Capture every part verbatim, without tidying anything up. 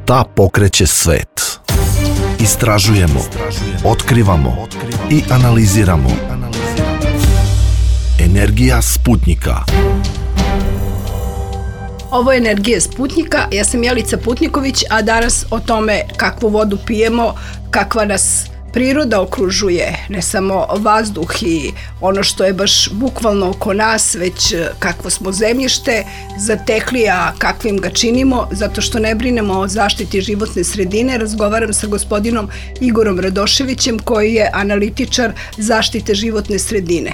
Šta pokreće svet? Istražujemo, otkrivamo i analiziramo. Energija Sputnjika. Ovo je Energija Sputnjika, ja sam Jelica Putniković, a danas o tome kakvu vodu pijemo, kakva nas priroda okružuje, ne samo vazduh i ono što je baš bukvalno oko nas, već kakvo smo zemljište zatekli, a kakvim ga činimo, zato što ne brinemo o zaštiti životne sredine. Razgovaram sa gospodinom Igorom Radoševićem, koji je analitičar zaštite životne sredine.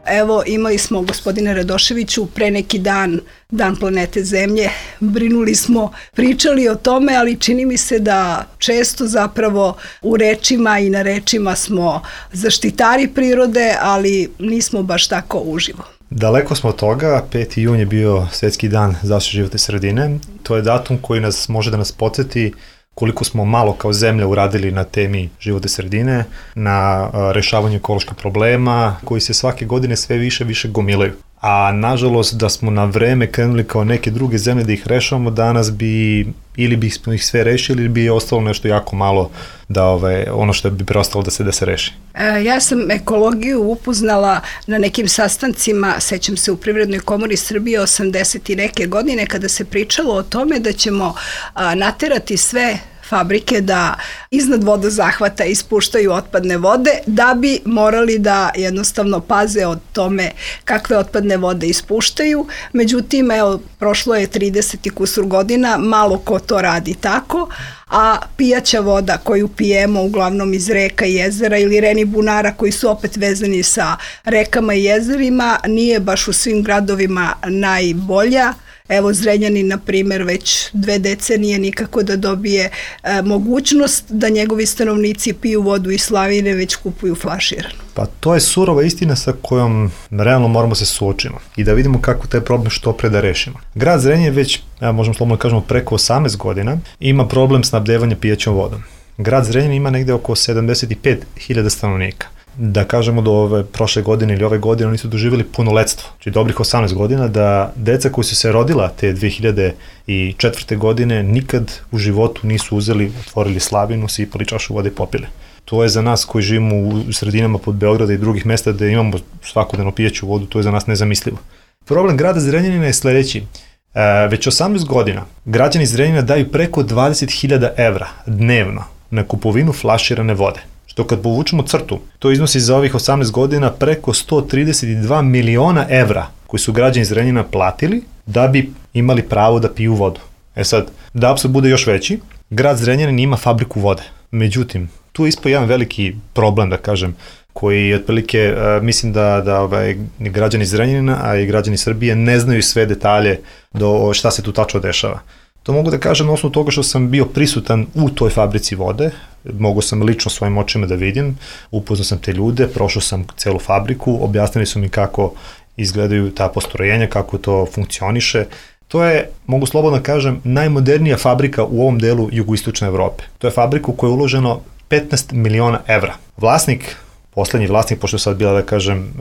Evo, imali smo, gospodine Radoševiću, pre neki dan, Dan planete Zemlje, brinuli smo, pričali o tome, ali čini mi se da često zapravo u rečima i na rečima smo zaštitari prirode, ali nismo baš tako uživo. Daleko smo od toga, peti jun je bio Svetski dan zaštite životne sredine. To je datum koji nas može da nas podsjeti koliko smo malo kao zemlja uradili na temi životne sredine, na rešavanju ekoloških problema koji se svake godine sve više više gomilaju. A nažalost da smo na vreme krenuli kao neke druge zemlje da ih rešavamo, danas bi ili bi smo ih sve rešili ili bi ostalo nešto jako malo da ove, ono što bi preostalo da se da se reši. E, ja sam ekologiju upoznala na nekim sastancima, sećam se u Privrednoj komori Srbije osamdeset i neke godine, kada se pričalo o tome da ćemo a, naterati sve fabrike da iznad vodozahvata ispuštaju otpadne vode, da bi morali da jednostavno paze o tome kakve otpadne vode ispuštaju. Međutim, evo, prošlo je trideset i kusur godina, malo ko to radi tako, a pijaća voda koju pijemo uglavnom iz reka i jezera ili reni bunara koji su opet vezani sa rekama i jezerima nije baš u svim gradovima najbolja. Evo, Zrenjanin, na primjer, već dve decenije nikako da dobije e, mogućnost da njegovi stanovnici piju vodu iz slavine, već kupuju flaširanu. Pa to je surova istina sa kojom realno moramo se suočimo i da vidimo kako taj problem što pre da rešimo. Grad Zrenjanin već, ja možemo slobodno kažemo, preko osamnaest godina ima problem snabdevanja pijaćom vodom. Grad Zrenjanin ima negde oko sedamdeset i pet hiljada stanovnika. Da kažemo do ove prošle godine ili ove godine oni su doživjeli punoletstvo, znači dobrih osamnaest godina, da deca koji su se rodila te dve hiljade četvrte godine nikad u životu nisu uzeli, otvorili slavinu, sipali čašu vode i popili. To je za nas koji živimo u sredinama pod Beograda i drugih mesta da imamo svakodnevno pijaću vodu, to je za nas nezamislivo. Problem grada Zrenjanina je sledeći. E, već osamnaest godina građani Zrenjanina daju preko dvadeset hiljada evra dnevno na kupovinu flaširane vode. Što kad povučemo crtu, to iznosi za ovih osamnaest godina preko sto trideset dva miliona evra koji su građani Zrenjanina platili da bi imali pravo da piju vodu. E sad, da apsurd bude još veći, grad Zrenjanin ima fabriku vode. Međutim, tu je ispao jedan veliki problem, da kažem, koji otprilike uh, mislim da, da ovaj, građani Zrenjanina, a i građani Srbije ne znaju sve detalje do šta se tu tačno dešava. To mogu da kažem na osnovu toga što sam bio prisutan u toj fabrici vode, mogu sam lično svojim očima da vidim, upoznao sam te ljude, prošao sam celu fabriku, objasnili su mi kako izgledaju ta postrojenja, kako to funkcioniše. To je, mogu slobodno kažem, najmodernija fabrika u ovom delu jugoistočne Evrope. To je fabrika u kojoj je uloženo petnaest miliona evra. Vlasnik, poslednji vlasnik, pošto sad bila, da kažem,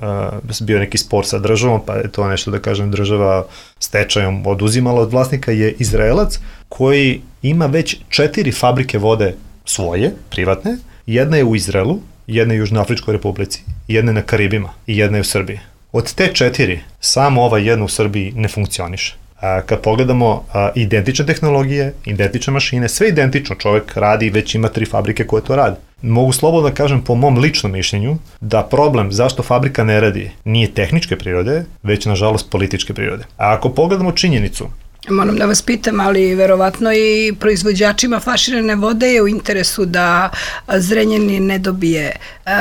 uh, bio neki spor sa državom, pa je to nešto, da kažem, država stečajom oduzimala od vlasnika, je Izraelac koji ima već četiri fabrike vode svoje, privatne. Jedna je u Izraelu, jedna je u Južnoafričkoj republici, jedna je na Karibima i jedna je u Srbiji. Od te četiri, samo ova jedna u Srbiji ne funkcioniše. A, kad pogledamo a, identične tehnologije, identične mašine, sve identično, čovek radi i već ima tri fabrike koje to rade. Mogu slobodno da kažem po mom ličnom mišljenju da problem zašto fabrika ne radi nije tehničke prirode, već nažalost političke prirode. A ako pogledamo činjenicu, moram da vas pitam, ali verovatno i proizvođačima flaširane vode je u interesu da Zrenjanin ne dobije uh,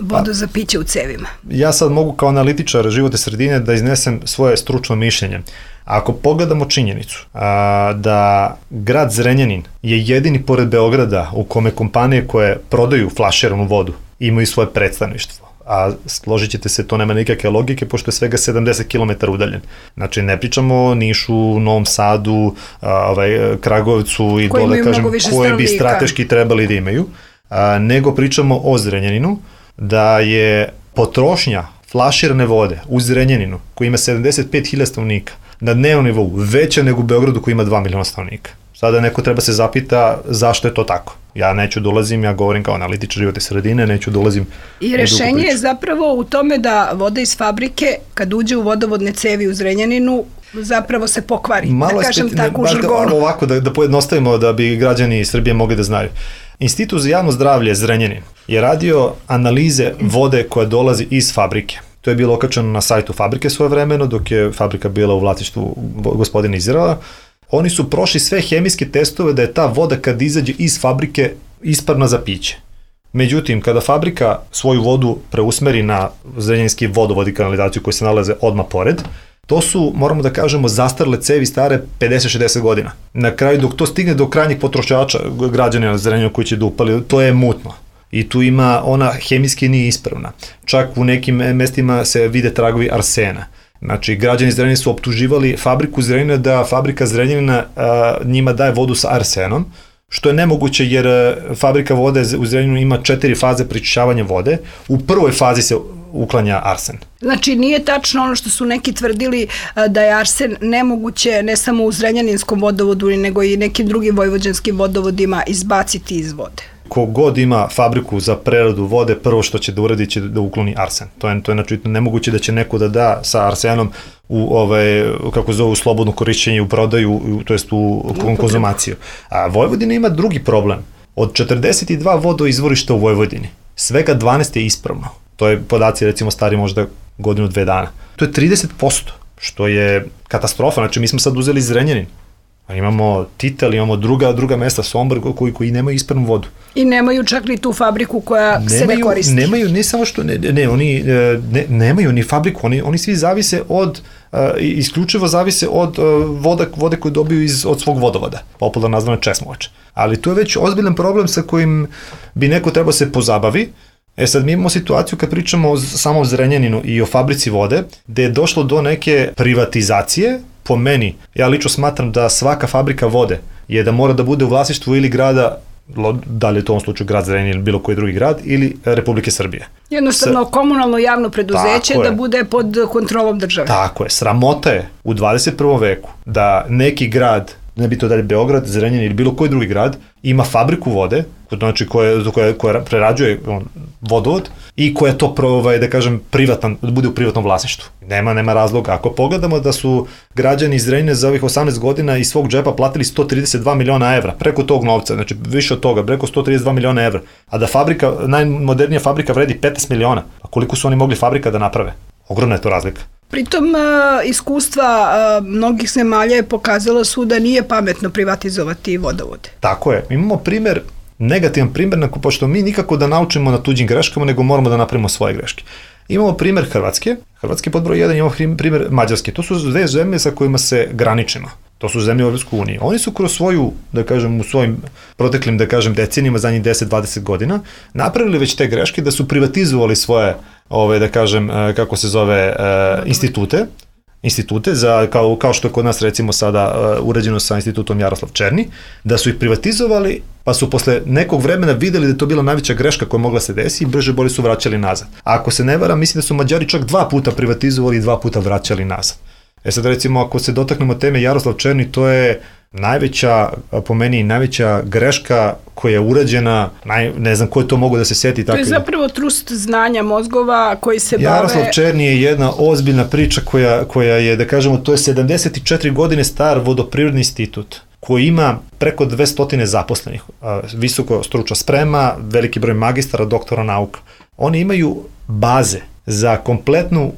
vodu pa, za piće u cevima. Ja sad mogu kao analitičar životne sredine da iznesem svoje stručno mišljenje. Ako pogledamo činjenicu a, da grad Zrenjanin je jedini pored Beograda u kome kompanije koje prodaju flaširanu vodu imaju svoje predstavništvo, a složit ćete se, to nema nikakve logike pošto je svega sedamdeset kilometara udaljen. Znači ne pričamo o Nišu, Novom Sadu, a, ovaj, Kragovcu i dole, kažem, koje bi strateški trebali da imaju, a, nego pričamo o Zrenjaninu, da je potrošnja flaširane vode u Zrenjaninu, koji ima sedamdeset pet hiljada stanovnika, na dnevnom nivou veća nego u Beogradu koji ima dva miliona stanovnika. Sada neko treba se zapita zašto je to tako. Ja neću da ulazim, ja govorim kao analitičar životne sredine, neću da ulazim. I rešenje je zapravo u tome da voda iz fabrike, kad uđe u vodovodne cevi u Zrenjaninu, zapravo se pokvari, malo da kažem spet, tako ne, u žargonu. Ovako, da, da pojednostavimo da bi građani Srbije mogli da znaju. Institut za javno zdravlje Zrenjanin je radio analize vode koja dolazi iz fabrike. To je bilo okačeno na sajtu fabrike svojevremeno, dok je fabrika bila u vlasništvu gospodina Izraela. Oni su prošli sve hemijske testove da je ta voda kad izađe iz fabrike ispravna za piće. Međutim, kada fabrika svoju vodu preusmeri na zrenjaninski vodovod i kanalizaciju koji se nalaze odmah pored, to su, moramo da kažemo, zastarle cevi stare pedeset šezdeset godina. Na kraju, dok to stigne do krajnjih potrošača, građana na Zrenjaninu koji će da upali, to je mutno. I tu ima, ona hemijski nije ispravna. Čak u nekim mestima se vide tragovi arsena. Znači, građani Zrenjanina su optuživali fabriku Zrenjanina da fabrika Zrenjanina a, njima daje vodu sa arsenom, što je nemoguće jer fabrika vode u Zrenjaninu ima četiri faze prečišćavanja vode. U prvoj fazi se uklanja arsen. Znači, nije tačno ono što su neki tvrdili da je arsen nemoguće ne samo u Zrenjaninskom vodovodu, nego i nekim drugim vojvođanskim vodovodima izbaciti iz vode. Kogod ima fabriku za preradu vode, prvo što će da uradi će da ukloni arsen. To je, to je znači nemoguće da će neko da da sa arsenom u ovaj, kako zovu, slobodno korišćenje, u prodaju, to jest u konzumaciju. A Vojvodina ima drugi problem. Od četrdeset dva vodoizvorišta u Vojvodini, svega dvanaest je ispravno. To je podaci recimo stari možda godinu, dve dana. To je trideset posto, što je katastrofa. Znači mi smo sad uzeli Zrenjanin. Imamo Titel, imamo druga, druga mesta, Sombor, koji, koji nemaju ispravnu vodu. I nemaju čak ni tu fabriku koja nemaju, se ne koristi. Nemaju, ne samo što, ne, ne oni ne, nemaju ni fabriku, oni, oni svi zavise od, uh, isključivo zavise od uh, voda, vode koje dobiju iz, od svog vodovoda, popularno nazvano česmovač. Ali to je već ozbiljan problem sa kojim bi neko trebao se pozabavi. E sad mi imamo situaciju kad pričamo o samom Zrenjaninu i o fabrici vode, gde je došlo do neke privatizacije. Po meni, ja lično smatram da svaka fabrika vode je da mora da bude u vlasništvu ili grada, da li je to u ovom slučaju grad Zrenjanin ili bilo koji drugi grad, ili Republike Srbije. Jednostavno S... komunalno javno preduzeće da bude pod kontrolom države. Tako je. Sramota je u dvadeset prvom veku da neki grad, ne bi to dalje Beograd, Zrenjanin ili bilo koji drugi grad, ima fabriku vode, znači koja, koja, koja prerađuje on, vodovod i koja to ovaj, da kažem privatan, da bude u privatnom vlasništvu. Nema, nema razloga. Ako pogledamo da su građani iz Zrenjanina za ovih osamnaest godina iz svog džepa platili sto trideset dva miliona evra, preko tog novca, znači više od toga, preko sto trideset dva miliona evra, a da fabrika, najmodernija fabrika vredi petnaest miliona, a koliko su oni mogli fabrika da naprave? Ogromna je to razlika. Pritom iskustva mnogih zemalja je pokazala su da nije pametno privatizovati vodovode. Tako je. Imamo primer, negativan primer, pošto mi nikako da naučimo na tuđim greškama, nego moramo da napravimo svoje greške. Imamo primer Hrvatske, Hrvatske pod broj jedan, imamo primer Mađarske. To su dve zemlje sa kojima se graničimo. To su zemlje u Evropskoj uniji. Oni su kroz svoju, da kažem, u svojim proteklim, da kažem, decenijima, zadnjih deset do dvadeset godina, napravili već te greške da su privatizovali svoje, ove, da kažem, kako se zove, institute, institute, za, kao, kao što je kod nas recimo sada uh, urađeno sa institutom Jaroslav Černi, da su ih privatizovali, pa su posle nekog vremena videli da je to bila najveća greška koja mogla se desi i brže bolje su vraćali nazad. A ako se ne varam, mislim da su Mađari čak dva puta privatizovali i dva puta vraćali nazad. E sad recimo ako se dotaknemo teme Jaroslav Černi, to je najveća, po meni, najveća greška koja je urađena, naj, ne znam ko je to mogo da se seti. To tako je zapravo trust znanja mozgova koji se bave... Jaroslav Černi je jedna ozbiljna priča koja, koja je, da kažemo, to je sedamdeset četiri godine star vodoprivredni institut koji ima preko dvesta zaposlenih, visoko stručna sprema, veliki broj magistara, doktora nauka. Oni imaju baze za kompletnu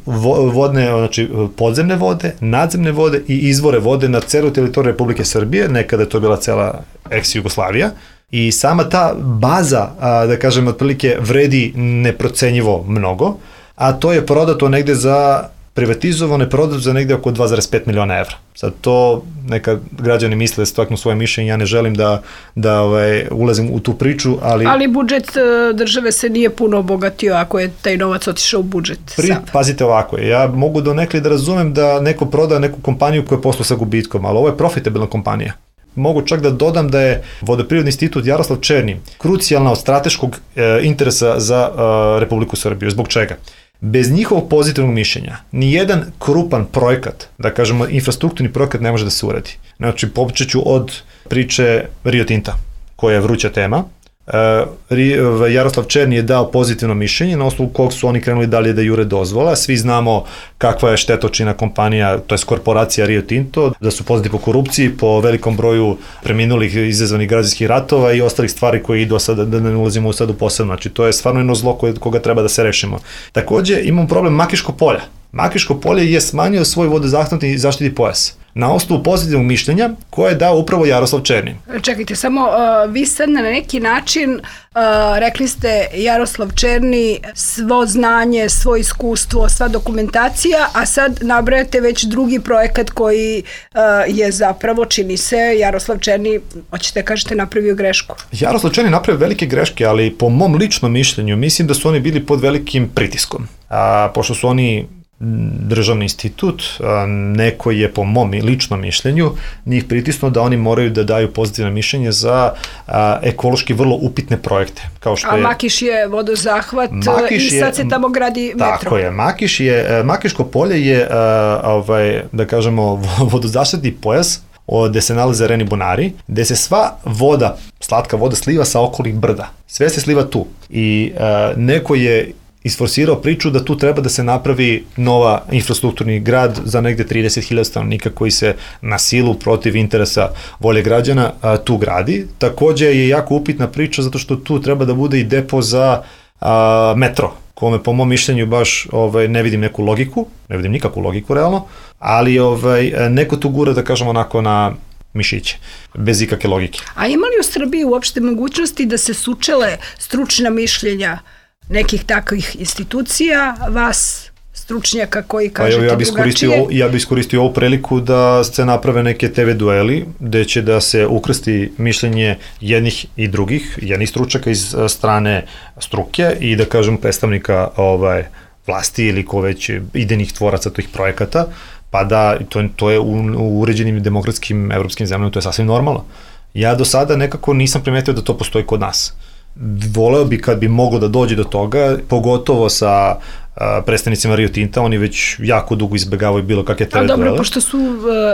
vodne, znači podzemne vode, nadzemne vode i izvore vode na celoj teritoriji Republike Srbije, nekada je to bila cela ex-Jugoslavija, i sama ta baza, da kažem, otprilike vredi neprocenjivo mnogo, a to je prodato negde za, privatizovano je prodato za negde oko dva zarez pet miliona evra. Sad to neka građani misle da staknu svoje mišljenje, ja ne želim da, da ovaj, ulazim u tu priču, ali... Ali budžet države se nije puno obogatio ako je taj novac otišao u budžet. Pri, pazite ovako, ja mogu donekle da razumem da neko proda neku kompaniju koja je posla sa gubitkom, ali ovo je profitabilna kompanija. Mogu čak da dodam da je Vodoprivredni institut Jaroslav Černi krucijalna od strateškog e, interesa za e, Republiku Srbiju. Zbog čega? Bez njihovog pozitivnog mišljenja, nijedan krupan projekat, da kažemo infrastrukturni projekat ne može da se uradi. Znači, počet ću od priče Rio Tinta, koja je vruća tema. Uh, Jaroslav Černi je dao pozitivno mišljenje na osnovu kog su oni krenuli dalje da jure dozvola. Svi znamo kakva je štetočina kompanija, to je korporacija Rio Tinto, da su poznati po korupciji, po velikom broju preminulih izazvanih građanskih ratova i ostalih stvari koje idu sada, da ne ulazimo u sad u posebno. Znači, to je stvarno jedno zlo koje, koga treba da se rešimo. Takođe, imamo problem Makiškog polja. Makiško polje je smanjio svoj vodozahvatni i zaštiti pojas na osnovu pozitivnog mišljenja koje je dao upravo Jaroslav Černi. Čekajte, samo uh, vi sad na neki način uh, rekli ste Jaroslav Černi, svo znanje, svo iskustvo, sva dokumentacija, a sad nabrajate već drugi projekat koji uh, je zapravo, čini se, Jaroslav Černi, hoćete kažete, napravio grešku. Jaroslav Černi napravio velike greške, ali po mom ličnom mišljenju mislim da su oni bili pod velikim pritiskom. A, pošto su oni državni institut, neko je po mom ličnom mišljenju njih pritisnuo da oni moraju da daju pozitivno mišljenje za a, ekološki vrlo upitne projekte. Kao što A je, Makiš je vodozahvat Makiš i sad se tamo gradi metro. Tako je, Makiš je, Makiško polje je, a, ovaj, da kažemo, vodozaštitni pojas gde se nalaze Reni bunari, gde se sva voda, slatka voda sliva sa okolnih brda. Sve se sliva tu. I a, neko je isforsirao priču da tu treba da se napravi nova infrastrukturni grad za negde trideset hiljada stanovnika koji se na silu protiv interesa volje građana a, tu gradi. Takođe je jako upitna priča zato što tu treba da bude i depo za a, metro, kome po mom mišljenju baš ovaj, ne vidim neku logiku, ne vidim nikakvu logiku realno, ali ovaj, neko tu gura da kažemo onako na mišiće, bez ikakve logike. A ima li u Srbiji uopšte mogućnosti da se sučele stručna mišljenja nekih takvih institucija, vas, stručnjaka koji kažete ja bi drugačije? Ja bih iskoristio ovu priliku da se naprave neke te ve dueli, gde će da se ukrsti mišljenje jednih i drugih, jednih stručaka iz strane struke i da kažem predstavnika ovaj, vlasti ili ko već idejnih tvoraca tih projekata, pa da to, to je u, u uređenim demokratskim evropskim zemljama, to je sasvim normalno. Ja do sada nekako nisam primetio da to postoji kod nas. Voleo bi kad bi moglo da dođe do toga, pogotovo sa a, predstavnicima Rio Tinta, oni već jako dugo izbegavaju bilo kakve te duele. A dobro, pošto su,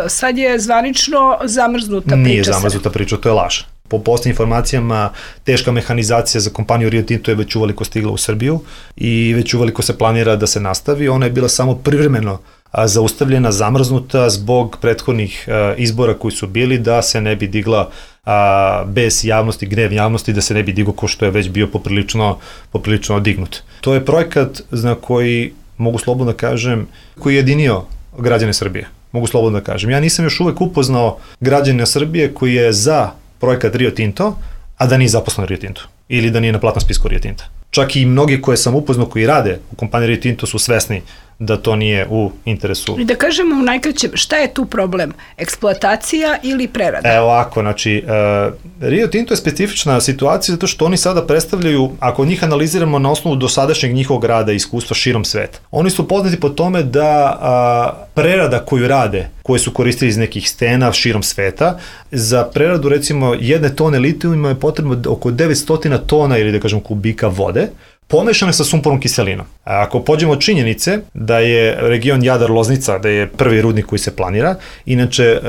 sad je zvanično zamrznuta priča. Nije zamrznuta priča, to je laž. Po posljednjim informacijama, teška mehanizacija za kompaniju Rio Tinto je već uveliko stigla u Srbiju i već uveliko se planira da se nastavi. Ona je bila samo privremeno zaustavljena, zamrznuta zbog prethodnih izbora koji su bili, da se ne bi digla a, bez javnosti, gnev javnosti, da se ne bi digo ko što je već bio poprilično, poprilično dignut. To je projekat na koji, mogu slobodno da kažem, koji je jedinio građane Srbije. Mogu slobodno da kažem. Ja nisam još uvek upoznao građane Srbije koji je za projekat Rio Tinto, a da nije zaposlen Rio Tinto ili da nije na platnom spisku Rio Tinta. Čak i mnogi koje sam upoznao koji rade u kompaniji Rio Tinto su svesni da to nije u interesu. I da kažemo u najkraćem, šta je tu problem? Eksploatacija ili prerada? Evo ovako, znači, uh, Rio Tinto je specifična situacija zato što oni sada predstavljaju, ako njih analiziramo na osnovu dosadašnjeg njihovog rada i iskustva širom sveta, oni su poznati po tome da uh, prerada koju rade, koje su koristili iz nekih stena širom sveta, za preradu recimo jedne tone litijuma je potrebno oko devetsto tona ili da kažem kubika vode, pomešane sa sumpornom kiselinom. Ako pođemo od činjenice da je region Jadar-Loznica, da je prvi rudnik koji se planira, inače e,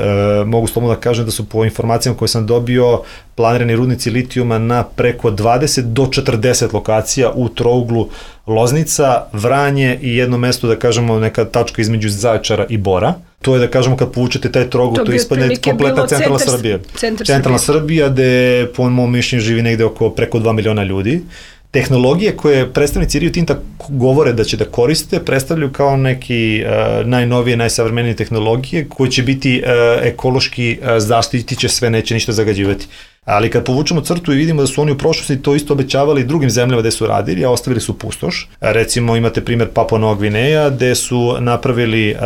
mogu slobodno da kažem da su po informacijama koje sam dobio planirani rudnici litijuma na preko dvadeset do četrdeset lokacija u trouglu Loznica, Vranje i jedno mesto, da kažemo, neka tačka između Zaječara i Bora. To je, da kažemo, kad povučete taj trougl, to, to ispadne kompletna centralna centar, Srbija. Centar centralna Srbija, gde po mom mišljenju živi negde oko preko dva miliona ljudi. Tehnologije koje predstavnici Rio Tinta govore da će da koriste predstavljaju kao neki uh, najnovije, najsavremenije tehnologije koje će biti uh, ekološki uh, zaštiti će sve, neće ništa zagađivati. Ali kad povučemo crtu i vidimo da su oni u prošlosti to isto obećavali drugim zemljama gde su radili, a ostavili su pustoš. Recimo imate primer Papua Nova Gvineja gde su napravili uh,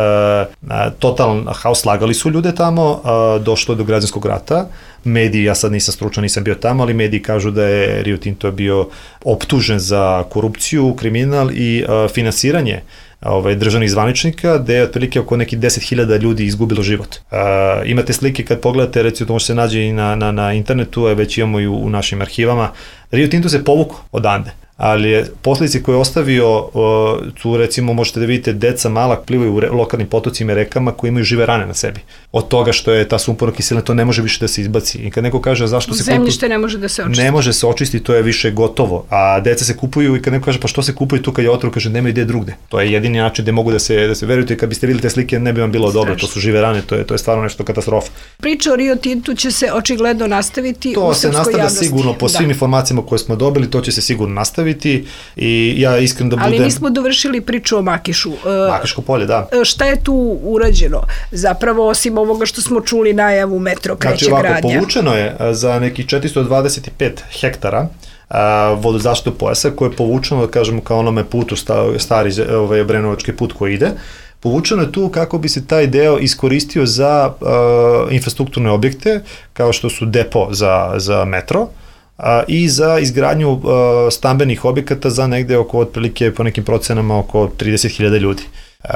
uh, totalan haos, slagali su ljude tamo, uh, došlo je do građanskog rata. Mediji, ja sad nisam stručan, nisam bio tamo, ali mediji kažu da je Rio Tinto bio optužen za korupciju, kriminal i uh, finansiranje ovaj, državnih zvaničnika, gde je otprilike oko nekih deset hiljada ljudi izgubilo život. Uh, imate slike kad pogledate, recimo to može se nađe i na, na, na internetu, a već imamo i u, u našim arhivama. Rio Tinto se povukao odande. ali je posljedice koje je ostavio, tu recimo možete da vidite deca mala plivaju u re, lokalnim potocima i rekama koji imaju žive rane na sebi. Od toga što je ta sumporna kiselina, to ne može više da se izbaci. I kad neko kaže zašto se zemljište ne može da se očisti. Ne može se očistiti, to je više gotovo. A deca se kupuju i kad neko kaže pa što se kupuju tu kad je otrov, kaže nema ide drugde. To je jedini način gde mogu da se, da se verujete, kad biste videli te slike ne bi vam bilo dobro, to su žive rane, to je, to je stvarno nešto katastrofa. Priča o Rio Tintu će se očigledno nastaviti to u se srpskoj nastavlja javnosti. Sigurno, po svim da. informacijama koje smo dobili, to će se sigurno nastaviti i ja iskreno da budem... Ali nismo dovršili priču o Makišu. Makiško polje, da. Šta je tu urađeno? Zapravo, osim ovoga što smo čuli najavu metro kreće znači, ovako, gradnja. Povučeno je za nekih četiristo dvadeset pet hektara vodozaštitu pojasa koje je povučeno, da kažemo, kao onome putu, stari ovaj, Obrenovački put koji ide. Povučeno je tu kako bi se taj deo iskoristio za uh, infrastrukturne objekte, kao što su depo za, za metro, uh, i za izgradnju uh, stambenih objekata za negde oko, otprilike, po nekim procenama, oko trideset hiljada ljudi. Uh,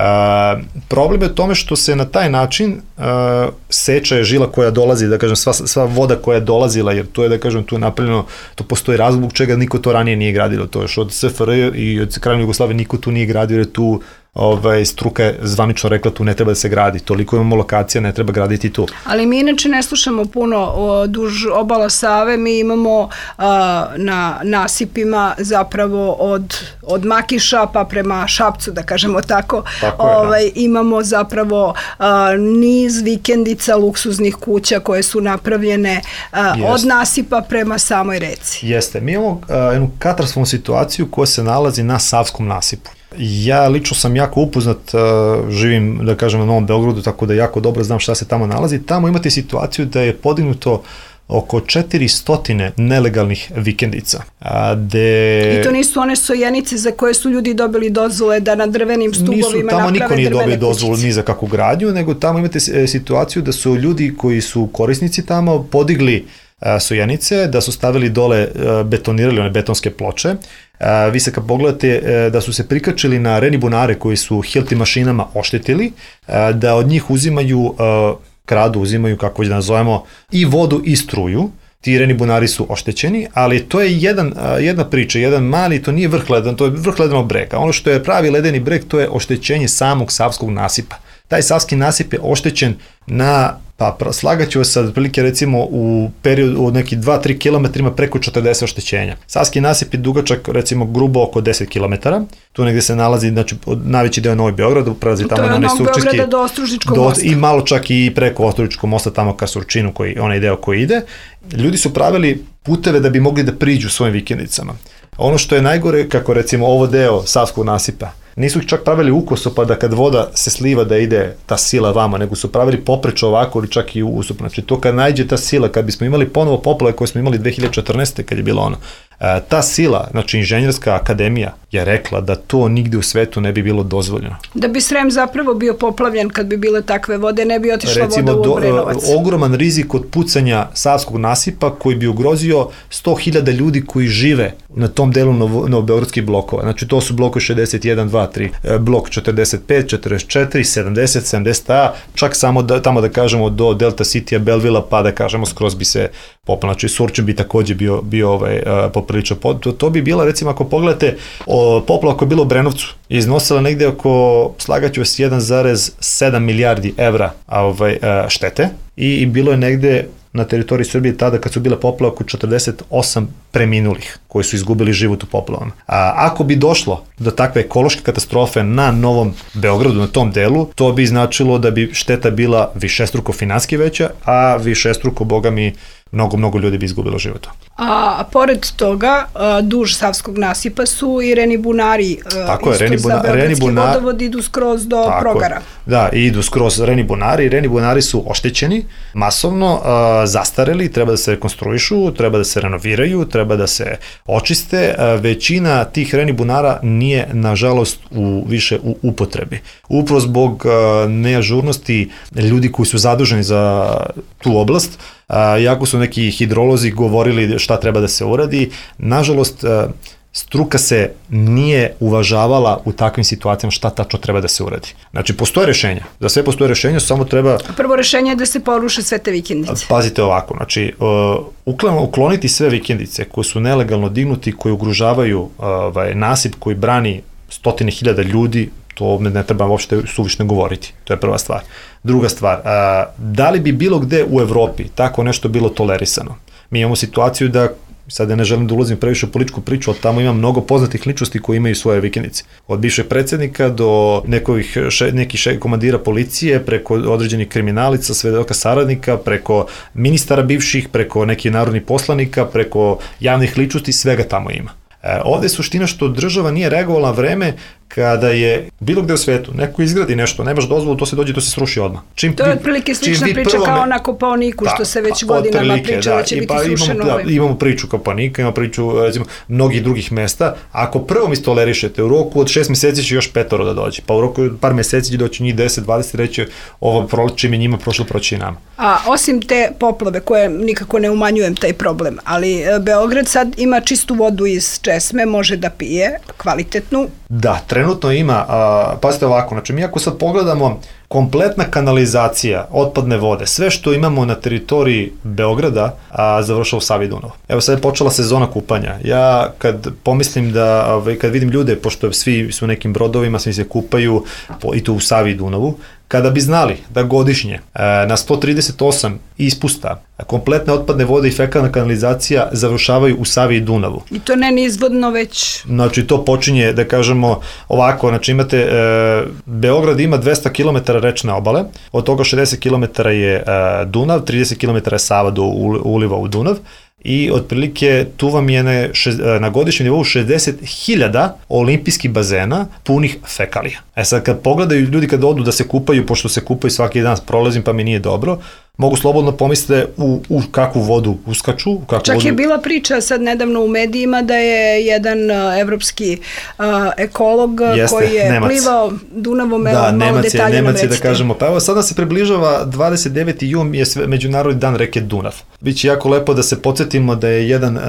problem je u tome što se na taj način uh, seče žila koja dolazi, da kažem, sva, sva voda koja je dolazila, jer to je, da kažem, tu je napravljeno, to postoji razlog zbog čega niko to ranije nije gradilo, to je još od S F R i od Kraljevine Jugoslavije niko tu nije gradio, jer tu ovaj, struka je zvanično rekla tu ne treba da se gradi, toliko imamo lokacija, ne treba graditi tu. Ali mi inače ne slušamo puno o duž obala Save, mi imamo a, na nasipima zapravo od, od Makiša pa prema Šapcu, da kažemo tako, tako je, ovaj, da. imamo zapravo a, niz vikendica, luksuznih kuća koje su napravljene a, od nasipa prema samoj reci. Jeste, mi imamo a, jednu katastrofalnu situaciju koja se nalazi na Savskom nasipu. Ja lično sam jako upoznat, živim, da kažem, na Novom Beogradu, tako da jako dobro znam šta se tamo nalazi. Tamo imate situaciju da je podignuto oko četiristo nelegalnih vikendica. De... I to nisu one sojenice za koje su ljudi dobili dozvole da na drvenim stubovima nisu, naprave tamo niko nije dobio dozvolu kućice. Ni za kakvu gradnju, nego tamo imate situaciju da su ljudi koji su korisnici tamo podigli sojenice, da su stavili dole, betonirali one betonske ploče. Vi se kad pogledate da su se prikačili na renibunare koji su Hilti mašinama oštetili, da od njih uzimaju, kradu, uzimaju, kako već da nazovemo, i vodu i struju. Ti renibunari su oštećeni, ali to je jedan, jedna priča, jedan mali, to nije vrh ledan, to je vrh ledenog brega. Ono što je pravi ledeni breg, to je oštećenje samog Savskog nasipa. Taj Savski nasip je oštećen na, pa slagaću vas sad, prilike recimo u periodu od nekih dva do tri kilometra ima preko četrdeset oštećenja. Savski nasip je dugačak recimo grubo oko deset kilometara, tu negde se nalazi, znači najveći deo Novi Beograd, prelazi tamo na onaj Surčinski. To je od Novog Beograda do Ostružničkog mosta. I malo čak i preko Ostružničkog mosta tamo ka Surčinu, koji, onaj deo koji ide. Ljudi su pravili puteve da bi mogli da priđu svojim vikendicama. Ono što je najgore, kako recimo ovo deo Savskog nasipa, nisu čak pravili ukoso pa da kad voda se sliva da ide ta sila vama, nego su pravili poprečno ovako ili čak i usup. Znači to kad najde ta sila, kad bismo imali ponovo poplave koje smo imali dve hiljade četrnaeste. kad je bilo ono, ta sila, znači Inženjerska akademija je rekla da to nigde u svetu ne bi bilo dozvoljeno. Da bi Srem zapravo bio poplavljen kad bi bile takve vode, ne bi otišla recimo, voda u Obrenovac. Recimo, ogroman rizik od pucanja Savskog nasipa koji bi ugrozio sto hiljada ljudi koji žive na tom delu novobeogradskih blokova. Znači to su blokovi šezdeset jedan, dva, tri, blok četrdeset pet, četrdeset četiri, sedamdeset, sedamdeset A, čak samo da, tamo da kažemo do Delta City-a, Belvila, pa da kažemo skroz bi se popala. Znači Surčin bi takođe bio, bio ovaj, poprilično. To, to bi bila, recimo, ako pogledate, o, poplava koja je bila u Brenovcu, iznosila negde oko, slagaću vas, jedan zarez sedam milijardi evra ovaj, štete i, i bilo je negde na teritoriji Srbije tada kad su bile poplave oko četrdeset osam preminulih koji su izgubili život u poplavama. A ako bi došlo do takve ekološke katastrofe na Novom Beogradu, na tom delu, to bi značilo da bi šteta bila višestruko finanski veća, a višestruko, boga mi, mnogo, mnogo ljudi bi izgubilo života. A, a pored toga, a, duž Savskog nasipa su i renibunari, a, tako je, isto renibuna, za Beogradski renibuna, vodovod idu skroz do tako Progara. Je. Da, idu skroz renibunari, renibunari su oštećeni, masovno a, zastareli, treba da se rekonstruišu, treba da se renoviraju, treba da se očiste. A, većina tih renibunara nije, nažalost, u, više u upotrebi. Upravo zbog a, neažurnosti ljudi koji su zaduženi za tu oblast, a, jako su neki hidrolozi govorili šta treba da se uradi. Nažalost, struka se nije uvažavala u takvim situacijama šta tačno treba da se uradi. Znači, postoje rešenja. Za sve postoje rešenja, samo treba... Prvo rešenje je da se poruše sve te vikendice. Pazite ovako, znači, uh, ukloniti sve vikendice koje su nelegalno dignuti, koje ugrožavaju uh, nasip koji brani stotine hiljada ljudi, to ne treba uopšte suvišno govoriti. To je prva stvar. Druga stvar, a, da li bi bilo gde u Evropi tako nešto bilo tolerisano? Mi imamo situaciju da, sad ja ne želim da ulazim previše u političku priču, ali tamo ima mnogo poznatih ličnosti koji imaju svoje vikendice. Od bivšeg predsednika do nekih, še, nekih še, komandira policije, preko određenih kriminalica, svedoka saradnika, preko ministara bivših, preko nekih narodnih poslanika, preko javnih ličnosti, svega tamo ima. E, ovde je suština što država nije reagovala na vreme kada je bilo gde u svetu, neko izgradi nešto, nemaš dozvolu, to se dođe, to se sruši odmah. Čim, to je otprilike slična priča kao me... na Kopaoniku, što se već pa, godinama priča da, da će biti pa, srušeno. Imamo, da, imamo priču Kopaonika, imamo priču recimo, mnogih drugih mesta. Ako prvom istolerišete, u roku od šest meseci će još petoro da dođe, pa u roku od par meseci će doći njih deset, dvadeset, reći ovo čim je njima prošlo, proći i nama. A osim te poplave, koje nikako ne umanjujem taj problem, ali Beograd sad ima čistu vodu iz česme, može da pije, kvalitetnu. Da, trenutno ima, a, pazite ovako, znači mi ako sad pogledamo kompletna kanalizacija otpadne vode, sve što imamo na teritoriji Beograda, a, završava u Savi i Dunavu. Evo sad je počela sezona kupanja. Ja kad pomislim da, kad vidim ljude, pošto svi su nekim brodovima, svi se kupaju po, i to u Savi i Dunavu, kada bi znali da godišnje na sto trideset osam ispusta kompletne otpadne vode i fekalna kanalizacija završavaju u Savi i Dunavu. I to ne nizvodno već... Znači to počinje, da kažemo ovako, znači imate, e, Beograd ima dvesta kilometara rečne obale, od toga šezdeset kilometara je e, Dunav, trideset kilometara je Sava do uliva u Dunav, i otprilike tu vam je na, šest, na godišnjem nivou šezdeset hiljada olimpijskih bazena punih fekalija. E sad kad pogledaju ljudi kad odu da se kupaju, pošto se kupaju svaki dan, prolazim pa mi nije dobro, mogu slobodno pomisliti u, u kakvu vodu uskaču. U kakvu Čak vodu... je bila priča sad nedavno u medijima da je jedan uh, evropski uh, ekolog Jeste, koji je Nemac. plivao Dunavom, da, evo malo detalje nam recite. Da kažemo, pa evo sada se približava dvadeset deveti jun je sve, Međunarodni dan reke Dunav. Biće jako lepo da se podsjetimo da je jedan uh,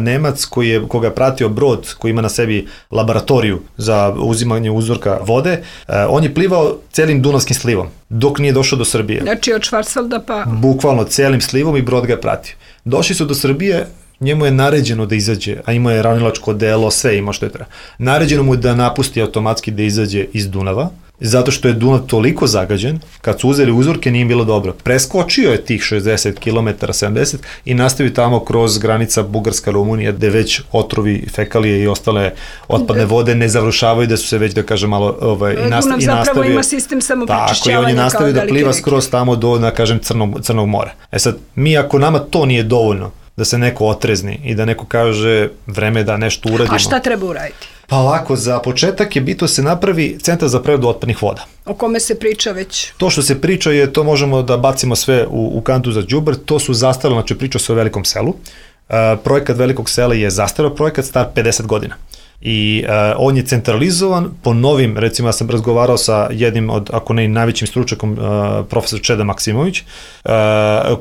Nemac koji je, koga je pratio brod koji ima na sebi laboratoriju za uzimanje uzorka vode, uh, on je plivao celim Dunavskim slivom dok nije došao do Srbije. Znači od Švarcvalda pa... Bukvalno celim slivom i brod ga je pratio. Došli su do Srbije, njemu je naređeno da izađe, a imao je ravnilačko delo, sve ima što je treba. Naređeno mu je da napusti automatski da izađe iz Dunava, zato što je Dunav toliko zagađen, kad su uzeli uzorke nije bilo dobro. Preskočio je tih šezdeset kilometara, sedamdeset i nastavio tamo kroz granica Bugarska, Rumunija, gde već otrovi, fekalije i ostale otpadne vode ne završavaju, da su se već, da kažem, malo ovaj, i, nastav, Dunav i nastavio. zapravo ima sistem samoprečišćavanja. Tako, i on je nastavio da pliva reke. Skroz tamo do, da kažem, Crnog, Crnog mora. E sad, mi ako nama to nije dovoljno, da se neko otrezni i da neko kaže vreme da nešto uradimo. A šta treba uraditi? Pa ovako, za početak je bitno se napravi centar za preradu otpadnih voda. O kome se priča već? To što se priča je, to možemo da bacimo sve u, u kantu za đubre, to su zastarali, znači priča se o Velikom selu. Uh, projekat Velikog sela je zastarao projekat, star pedeset godina. I uh, on je centralizovan po novim, recimo ja sam razgovarao sa jednim od, ako ne i najvećim stručnjakom, uh, profesor Čeda Maksimović, uh,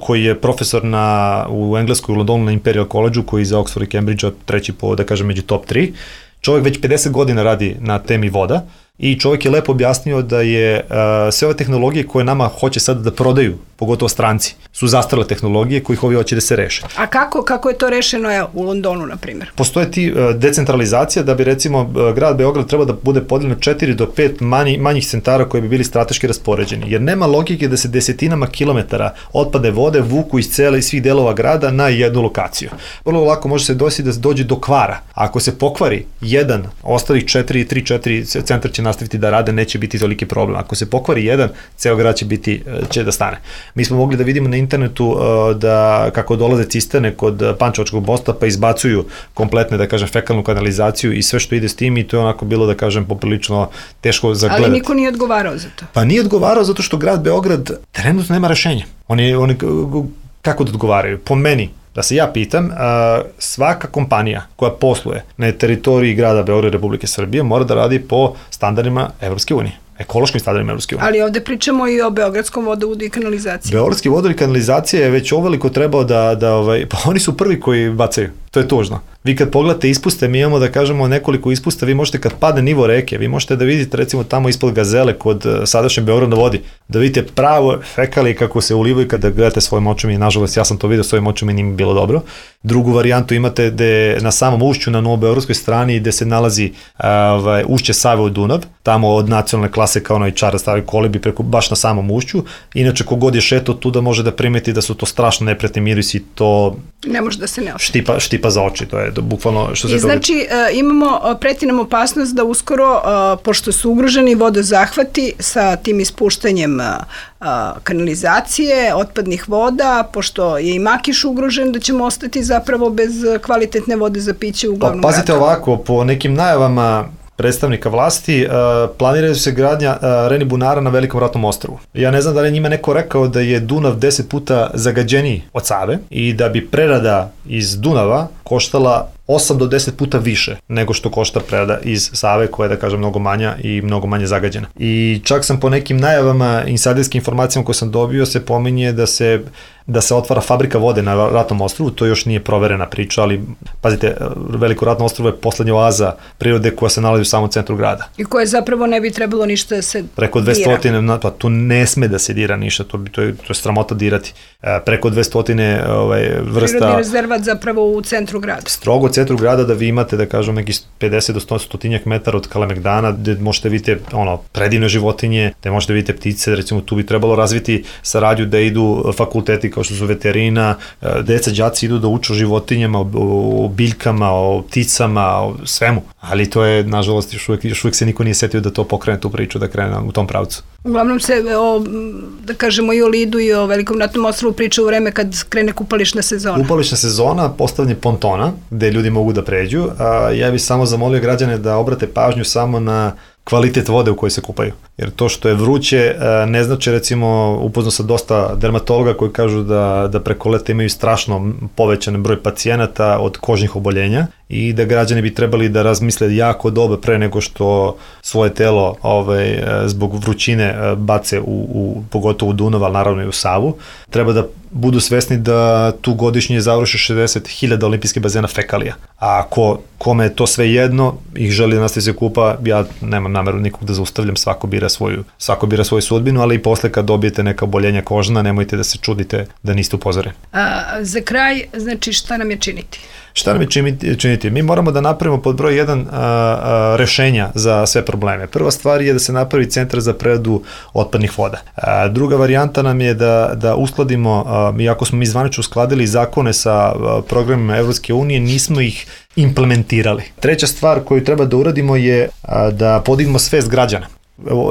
koji je profesor na, u Engleskoj u Londonu na Imperial College-u, koji je za Oxford i Cambridge treći po, da kažem, među top tri. Čovjek već pedeset godina radi na temi voda i čovjek je lepo objasnio da je uh, sve ove tehnologije koje nama hoće sad da prodaju, pogotovo stranci, su zastarale tehnologije kojih ovi hoće da se reše. A kako, kako je to rešeno evo, u Londonu, na primjer? Postoje ti uh, decentralizacija da bi recimo uh, grad Beograd trebao da bude podeljeno četiri do pet manji, manjih centara koji bi bili strateški raspoređeni, jer nema logike da se desetinama kilometara otpadne vode vuku iz cele i svih delova grada na jednu lokaciju. Vrlo lako može se desiti da dođe do kvara. Ako se pokvari jedan, ostalih četiri, tri, četiri centar će nastaviti da rade, neće biti toliki problem. Ako se pokvari jedan, ceo grad će biti, će da stane. Mi smo mogli da vidimo na internetu uh, da kako dolaze cisterne kod Pančevačkog mosta pa izbacuju kompletne, da kažem, fekalnu kanalizaciju i sve što ide s tim i to je onako bilo, da kažem, poprilično teško za gledati. Ali niko nije odgovarao za to? Pa nije odgovarao zato što grad Beograd trenutno nema rešenja. Oni, oni kako da odgovaraju? Po meni, da se ja pitam, svaka kompanija koja posluje na teritoriji grada Beograda i Republike Srbije mora da radi po standardima Evropske unije, ekološkim standardima Evropske unije. Ali ovde pričamo i o Beogradskom vodovodu i kanalizaciji. Beogradski vodovod i kanalizacija je već oveliko trebao da, da ovaj, pa oni su prvi koji bacaju. To je tužno. Vi kad pogledate ispuste, mi imamo da kažemo nekoliko ispusta, vi možete kad padne nivo reke, vi možete da vidite recimo tamo ispod Gazele kod sadašnje Beograd na vodi, da vidite pravo fekalije kako se ulivaju kada gledate svojim očima i nažalost ja sam to vidio svojim očima i nije mi bilo dobro. Drugu varijantu imate gde na samom ušću na novobeogradskoj strani gde se nalazi ovaj, ušće Save u Dunav, tamo od nacionalne klase kao onaj čara stari kolebi preko baš na samom ušću. Inače kogod je šetao tu da može da primeti da su to strašno neprijatni mirisi, to ne može da se ne osjeti. Štipa, štipa za oči, to je bukvalno što se I znači uh, imamo, preti nam opasnost da uskoro, uh, pošto su ugroženi vodozahvati sa tim ispuštanjem uh, kanalizacije, otpadnih voda, pošto je i Makiš ugrožen, da ćemo ostati zapravo bez kvalitetne vode za piće u glavnom pa, pazite gradu. ovako, po nekim najavama predstavnika vlasti, uh, planiraju se gradnja uh, Reni bunara na Velikom ratnom ostrvu. Ja ne znam da li je njima neko rekao da je Dunav deset puta zagađeniji od Save i da bi prerada iz Dunava koštala osam do deset puta više nego što košta prerada iz Save, koja je, da kažem, mnogo manja i mnogo manje zagađena. I čak sam po nekim najavama, insajderskim informacijama koje sam dobio, se pominje da se da se otvara fabrika vode na Ratnom ostrvu, to još nije proverena priča, ali pazite, Veliko ratno ostrvo je poslednja oaza prirode koja se nalazi u samom centru grada. I koje zapravo ne bi trebalo ništa da se Preko dvesta, pa tu ne sme da se dira ništa, to, bi, to, je, to je sramota dirati. E, preko dvesta ovaj, vrsta... Prirodni rezervat zapravo u centru grada. Strogo u centru grada da vi imate, da kažem, nekih pedeset do sto stotinjak metara od Kalemegdana, gde možete vidjeti ono, predivne životinje, gde možete vidjeti ptice, recimo tu bi trebalo razviti saradnju da idu fakulteti kao što su veterina, deca, đaci idu da uče o životinjama, o, o biljkama, o pticama, o svemu. Ali to je, nažalost, još uvijek, još uvijek se niko nije setio da to pokrene tu priču, da krene u tom pravcu. Uglavnom se, o, da kažemo, i o Lidu i o Velikom ratnom ostrvu priča u vreme kad krene kupališna sezona. Kupališna sezona, postavljanje pontona, gde ljudi mogu da pređu. A, ja bih samo zamolio građane da obrate pažnju samo na kvalitet vode u kojoj se kupaju. Jer to što je vruće ne znači, recimo, upoznao sam dosta dermatologa koji kažu da, da preko leta imaju strašno povećan broj pacijenata od kožnih oboljenja i da građani bi trebali da razmisle jako dobro pre nego što svoje telo ovaj, zbog vrućine bace u, u, pogotovo u Dunav, ali naravno i u Savu. Treba da budu svesni da tu godišnje završi šezdeset hiljada olimpijskih bazena fekalija. A ako kome je to sve jedno, ih želi da nastavi se kupa, ja nemam nameru nikog da zaustavljam, svako bira svoju, svako bira svoju sudbinu, ali i posle kad dobijete neka oboljenja kožna, nemojte da se čudite da niste upozoreni. A, za kraj, znači šta nam je činiti? Šta nam je činiti? Mi moramo da napravimo pod broj jedan a, a, rešenja za sve probleme. Prva stvar je da se napravi centar za preradu otpadnih voda. A, druga varijanta nam je da, da uskladimo, a, iako smo mi zvanično uskladili zakone sa a, programima Evropske unije, nismo ih implementirali. Treća stvar koju treba da uradimo je a, da podignemo svest građana.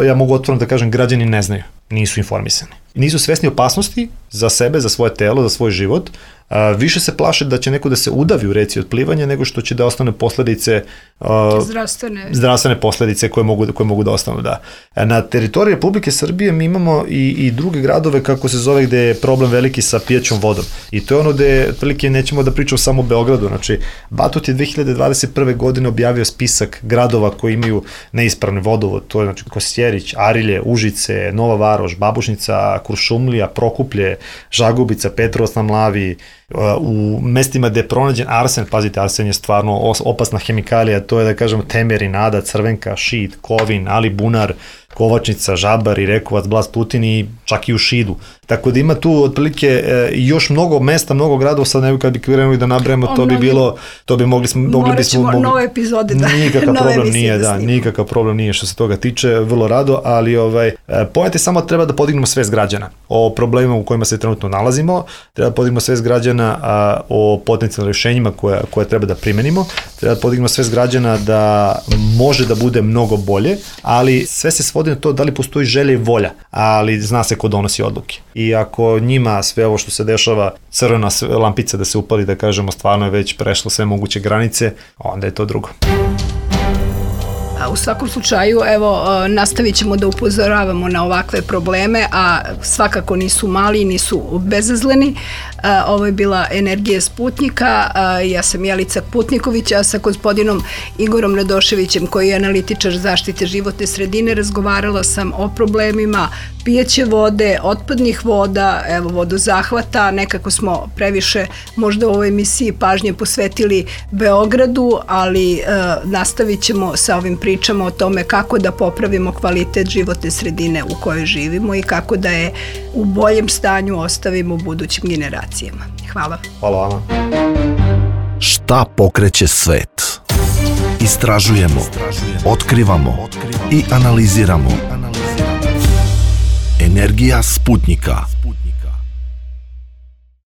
Ja mogu otvoreno da kažem, građani ne znaju, nisu informisani. Nisu svesni opasnosti za sebe, za svoje telo, za svoj život. A, više se plaše da će neko da se udavi u reci od plivanja nego što će da ostane posledice a, zdravstvene. zdravstvene posledice koje mogu, koje mogu da ostanu. Da. Na teritoriji Republike Srbije mi imamo i, i druge gradove, kako se zove, gde je problem veliki sa pijaćom vodom. I to je ono gde otprilike nećemo da pričamo samo o Beogradu. Znači, Batut je dve hiljade dvadeset prve. godine objavio spisak gradova koji imaju neispravni vodovod. To je znači Kosjerić, Arilje, Užice, Nova Varoš, Babušnica, Kuršumlija, Prokuplje, Žagubica, Petrovac na Mlavi, u mestima gde je pronađen arsen, pazite, arsen je stvarno opasna hemikalija, to je da kažemo Temerin, Ada, Crvenka, Šid, Kovin, Alibunar, Kovačnica, Žabar i Rekovac, Blas, Tutin i čak i u Šidu. Tako da ima tu otprilike e, još mnogo mesta, mnogo gradova, sad ne bi kad bi krenuli da nabrajamo, to bi bilo, to bi mogli smo, mogli bismo... Morat ćemo nove epizode da... Nikakav problem nije, da, nikakav problem nije što se toga tiče, vrlo rado, ali ovaj, pojete samo treba da podignemo svest građana o problemima u kojima se trenutno nalazimo, treba da podignemo svest građana a, o potencijalnim rešenjima koje, koje treba da primenimo, treba da podignemo svest građana da može da bude mnogo bolje, ali sve se svodi na to da li postoji želja i volja, ali zna se ko donosi odluke. I ako njima sve ovo što se dešava, crvena lampica da se upali, da kažemo, stvarno je već prešlo sve moguće granice, onda je to drugo. U svakom slučaju, evo, nastavit ćemo da upozoravamo na ovakve probleme, a svakako nisu mali i nisu bezazleni. Ovo je bila Energija Sputnika. Ja sam Jelica Putniković, a sa gospodinom Igorom Radoševićem, koji je analitičar zaštite životne sredine, razgovarala sam o problemima pijeće vode, otpadnih voda, evo, vodozahvata. Nekako smo previše možda u ovoj emisiji pažnje posvetili Beogradu, ali e, nastavit ćemo sa ovim pričama o tome kako da popravimo kvalitet životne sredine u kojoj živimo i kako da je u boljem stanju ostavimo budućim generacijama. Hvala. Hvala vama. Šta pokreće svet? Istražujemo, otkrivamo i analiziramo. Energija Sputnika.